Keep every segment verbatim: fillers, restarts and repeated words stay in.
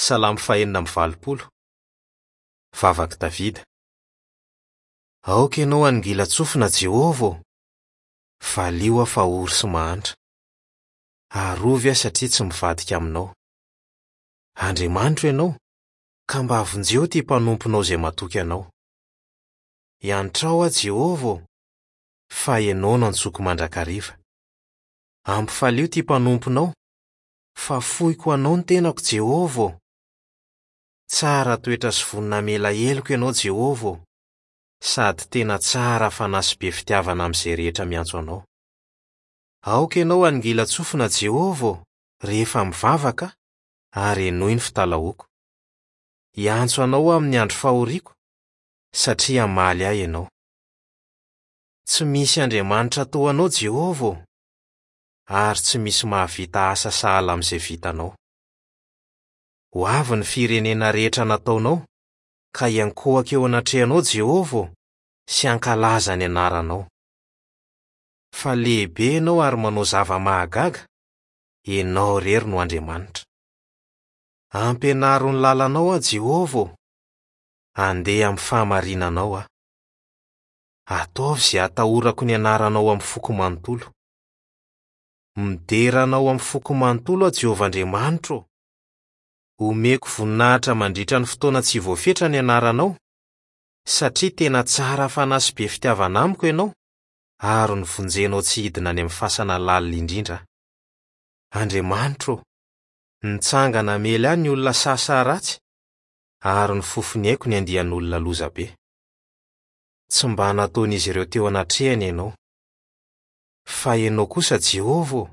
Salamo fahenina amby valopolo. Vavak'i Davida. Aoka ianao hanongilan-tsofina Jehovah ô! Valio aho fa ory sy mahantra. Arovy aho satria tsy mivadika aminao. Andriamanitro ianao, ka mba vonjeo ity mpanomponao izay matoky anao. Iantrao aho Jehovah ô, fa ianao no antsoiko mandrakariva. Ampifalio ity mpanomponao, fa foiko anao ny tenako Jehovah ô. Tsara toetra sy vonona hamela heloka ianao Jehovah ô, sady tena tsara fanahy sy be fitiavana amin'izay rehetra miantso anao. Aoka ianao hanongilan-tsofina Jehovah ô, rehefa mivavaka ary henoy ny fitalahoako. Hiantso anao aho amin'ny andro fahoriako, satria hamaly ahy ianao. Tsy misy Andriamanitra toa anao Jehovah ô, ary tsy misy mahavita asa sahala amin'izay vitanao. Ho avy ny firenena rehetra nataonao, ka hiankohoka eo anatrehanao Jehovah ô, sy hankalaza ny anaranao. Fa lehibe ianao ary manao zava-mahagaga, ianao irery no Andriamanitra. Ampianaro ny lalanao aho Jehovah ô, andeha amin'ny fahamarinanao aho. Ataovy izay hatahorako ny anaranao amin'ny foko manontolo. Midera anao amin'ny foko manontolo aho Jehovah Andriamanitro ô. Omeko voninahitra mandritra ny fotoana tsy voafetra ny anaranao, satria tena tsara fanahy sy be fitiavana amiko ianao, ary novonjenao tsy hidina any amin'ny fasana lalina indrindra aho. Andriamanitro ô, nitsangana hamely ahy ny olona sasa ratsy, ary nofofoniaiko ny andian'olona lozabe. Tsy mba nataon'izy ireo teo anatrehany ianao. Fa ianao kosa Jehovah ô,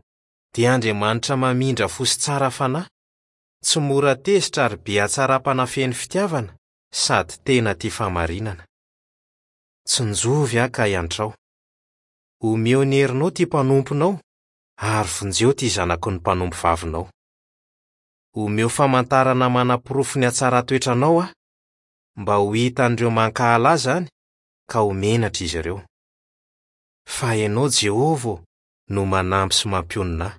dia Andriamanitra mamindra fo sy tsara fanahy, tsy mora tezitra ary be hatsaram-panahy feno fitiavana sady tena tia fahamarinana. Tsinjovy aho ka iantrao. Omeo ny herinao ity mpanomponao, ary vonjeo ity zanaky ny mpanompo vavinao. Omeo famantarana manaporofo ny hatsaran-toetranao aho, mba ho hitan'ireo mankahala ahy izany, ka ho menatra izy ireo. Fa ianao Jehovah ô, no manampy sy mampionona ahy.